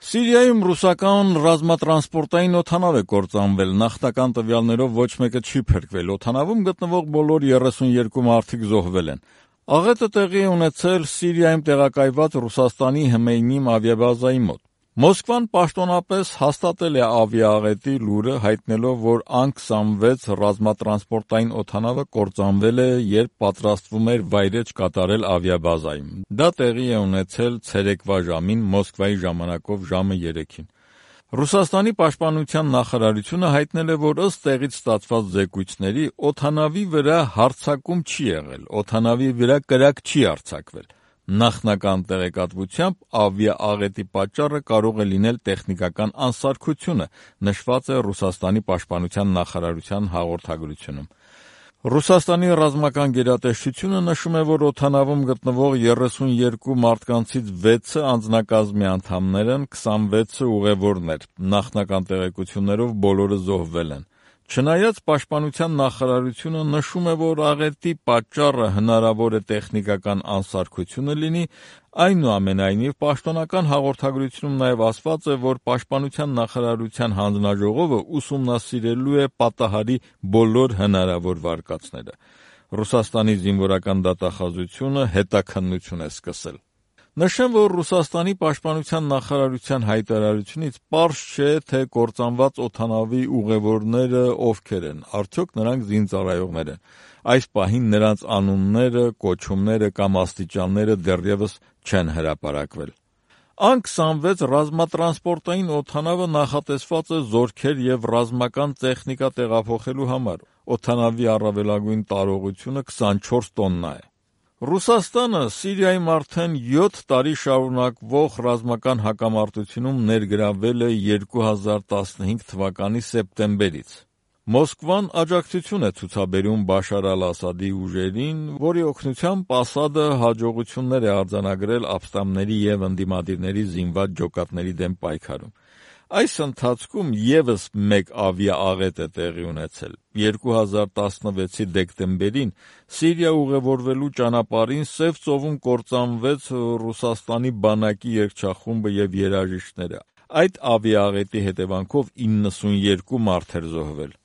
Սիրիայում ռուսական ռազմատրանսպորտային օդանավ է կործանվել, նախնական տվյալներով ոչ մեկը չի փրկվել, օդանավում գտնվող բոլոր 32 մարդիկ զոհվել են։ Աղետը տեղի է ունեցել Սիրիայում տեղակայված Ռուսաստանի Հմեյմիմ ավիաբազայի մոտ։ Մոսկվան պաշտոնապես հաստատել է ավիաաղետի լուրը, հայտնելով, որ Ան-26 ռազմատրանսպորտային օդանավը կործանվել է, երբ պատրաստվում էր վայրէջք կատարել ավիաբազայում։ Դա տեղի է ունեցել ցերեկվա ժամին Մոսկվայի ժամանակով ժամը 3-ին։ Ռուսաստանի պաշտպանության նախարարությունը հայտնել է, որ ըստ տեղից ստացված զեկույցների օդանավի վրա հարձակում չի եղել, օդանավի վրա կրակ չի արձակվել։ Նախնական տեղեկատվությամբ ավիաաղետի պատճառը կարող է լինել տեխնիկական անսարքությունը, նշված է Ռուսաստանի պաշտպանության նախարարության հաղորդագրությունում։ Ռուսաստանի ռազմական գերատեսչությունը նշում է, որ օդանավում գտնվող 32 մարդկանցից 6-ը անձնակազմի անդամներ են, 26-ը ուղևորներ։ Նախնական տեղեկություններով բոլորը զոհվել են։ Չնայած պաշտպանության նախարարությունը նշում է, որ աղետի պատճառը հնարավոր է տեխնիկական անսարքությունը լինի, այնուամենայնիվ պաշտոնական հաղորդագրությունում նաև ասված է, որ պաշտպանության նախարարության հանձնաժողովը ուսումնասիրելու է պատահարի բոլոր հնարավոր վարկածները։ Ռուսաստանի զինվորական դատախազությունը հետաքննություն է սկսել։ Նշեմ, որ Ռուսաստանի պաշտպանության նախարարության հայտարարությունից պարզ չէ, թե կործանված օդանավի ուղևորները ովքեր են, արդյոք նրանք զինծառայողներ են։ Այս պահին նրանց անունները, կոչումները կամ աստիճանները դեռևս չեն հրապարակվել։ Ան-26 ռազմատրանսպորտային օդանավը նախատեսված է զորքեր և ռազմական տեխնիկա տեղափոխելու համար։ Օդանավի առավելագույն տարողությունը 24 տոննա է։ Ռուսաստանը Սիրիայում արդեն 7 տարի շարունակվող ռազմական հակամարտությունում ներգրավվել է 2015 թվականի սեպտեմբերից։ Մոսկվան աջակցություն է ցուցաբերում Բաշար ալ-Ասադի ուժերին, որի օգնությամբ Ասադը հաջողություններ է արձանագրել ապստամբների և ընդդիմադիրների զինված ջոկատների դեմ պայքարում։ Այս ընթացքում ևս մեկ ավիաաղետ է տեղի ունեցել։ 2016-ի դեկտեմբերին Սիրիա ուղևորվելու ճանապարհին Սև ծովում կործանվեց Ռուսաստանի բանակի երգչախումբը և երաժիշտները։ Այդ ավիաաղետի հետևանքով 92 մարդ էր զոհվել։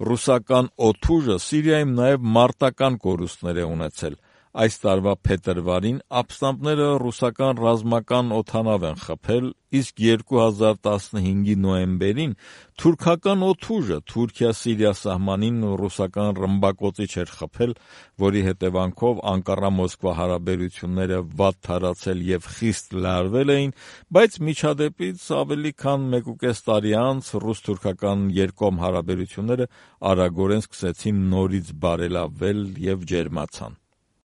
Ռուսական օդուժը Սիրիայում նաև մարտական կորուստներ է ունեցել։ Այս տարվա փետրվարին ապստամբները ռուսական ռազմական օդանավ են խփել, իսկ 2015-ի նոյեմբերին թուրքական օդուժը Թուրքիա-Սիրիա սահմանին ռուսական ռմբակոծիչ էր խփել, որի հետևանքով Անկարա-Մոսկվա հարաբերությունները վատ թարացել և խիստ լարվել էին, բայց միջադեպից ավելի քան 1.5 տարի անց ռուս-թուրքական երկկողմ հարաբերությունները արագորեն սկսեցին նորից բարելավվել և ջերմացան։